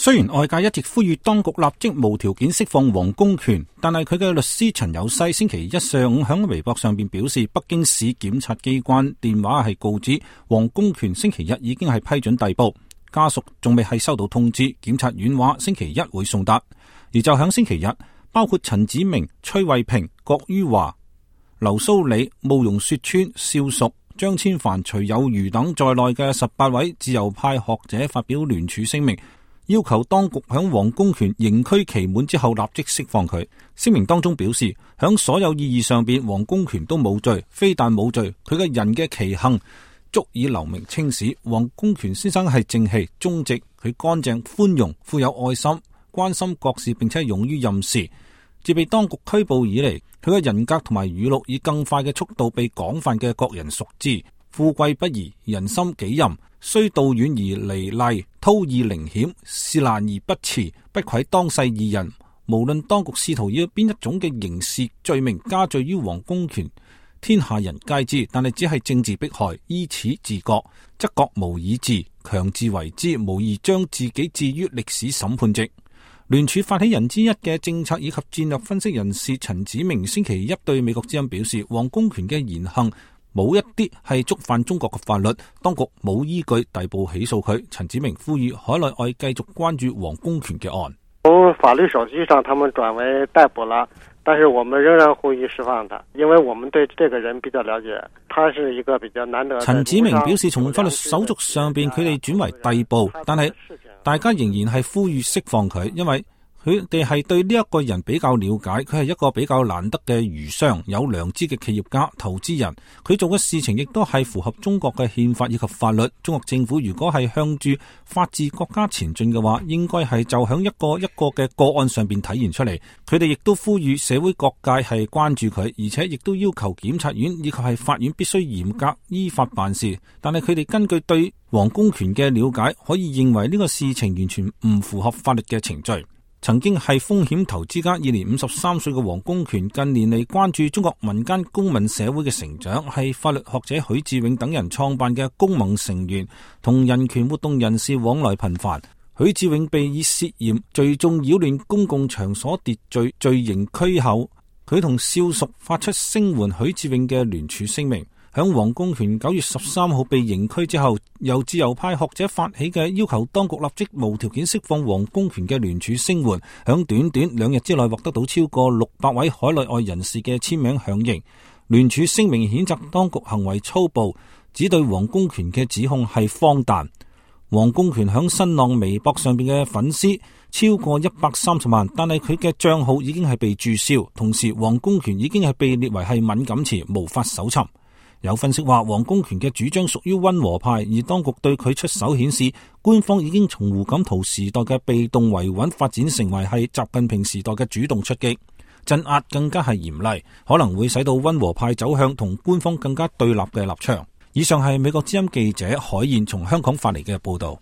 雖然外界一直呼籲當局立即無條件釋放王公權，但係佢嘅律師陳有西星期一上午響微博上邊表示，北京市檢察機關電話係告知王公權星期一已經係批准逮捕，家屬仲未係收到通知，檢察院話星期一會送達。而就響星期日，包括陳子明、崔慧平、郭于華、劉蘇里、慕容雪村、邵淑、張千帆、徐有餘等在內嘅18位自由派學者發表聯署聲明，要求當局響王公權刑拘期滿之後立即釋放佢。聲明當中表示，響所有意義上邊，王公權都冇罪，非但冇罪，佢嘅人嘅奇行足以留名青史。王公權先生係正氣、忠直，佢乾淨、寬容、富有愛心，關心國事，並且勇於任事。自被當局拘捕以嚟，佢嘅人格同埋語錄以更快嘅速度被廣泛嘅國人熟知。富貴不移，人心己任，雖道遠而離麗，韜意靈險，事難而不辭，不愧當世義人。無論當局試圖以邊一種嘅刑事罪名加罪於王公權，天下人皆知，但係只係政治迫害，依此治國，則國無以治，強自為之，無疑將自己置於歷史審判席。聯署發起人之一嘅政策以及戰略分析人士陳子明星期一對美國之音表示，王公權嘅言行冇一啲係觸犯中國嘅法律，當局冇依據逮捕起訴佢。陳子明呼籲海內外繼續關注王公權嘅案。從法律手續上，他們轉為逮捕了，但是我們仍然呼籲釋放他，因為我們對這個人比較了解，他是一個比較難得。陳子明表示，從法律手續上邊，佢哋轉為逮捕，但係大家仍然係呼籲釋放佢，因為佢哋係對呢一個人比較了解，佢係一個比較難得嘅儒商，有良知嘅企業家、投資人。佢做嘅事情亦都係符合中國嘅憲法以及法律。中國政府如果係向住法治國家前進嘅話，應該係就響一個一個嘅個案上邊體現出嚟。佢哋亦都呼籲社會各界係關注佢，而且亦都要求檢察院以及係法院必須嚴格依法辦事。但係佢哋根據對王公權嘅了解，可以認為呢個事情完全唔符合法律嘅程序。曾經係風險投資家，現年53歲嘅王公權，近年嚟關注中國民間公民社會嘅成長，係法律學者許志永等人創辦嘅公盟成員，同人權活動人士往來頻繁。許志永被以涉嫌聚眾擾亂公共場所秩序罪刑拘後，佢同少屬發出聲援許志永嘅聯署聲明。響王公權9月13號被刑拘之後，由自由派學者發起嘅要求當局立即無條件釋放王公權嘅聯署聲援，響短短2日之內獲得到超過600位海內外人士嘅簽名響應。聯署聲明譴責當局行為粗暴，指對王公權嘅指控係荒誕。王公權響新浪微博上邊嘅粉絲超過130萬，但係佢嘅賬號已經係被註銷，同時王公權已經係被列為係敏感詞，無法搜尋。有分析話，王公權嘅主張屬於溫和派，而當局對佢出手顯示，官方已經從胡錦濤時代嘅被動維穩發展成為係習近平時代嘅主動出擊，鎮壓更加係嚴厲，可能會使到溫和派走向同官方更加對立嘅立場。以上係美國之音記者海燕從香港發嚟嘅報道。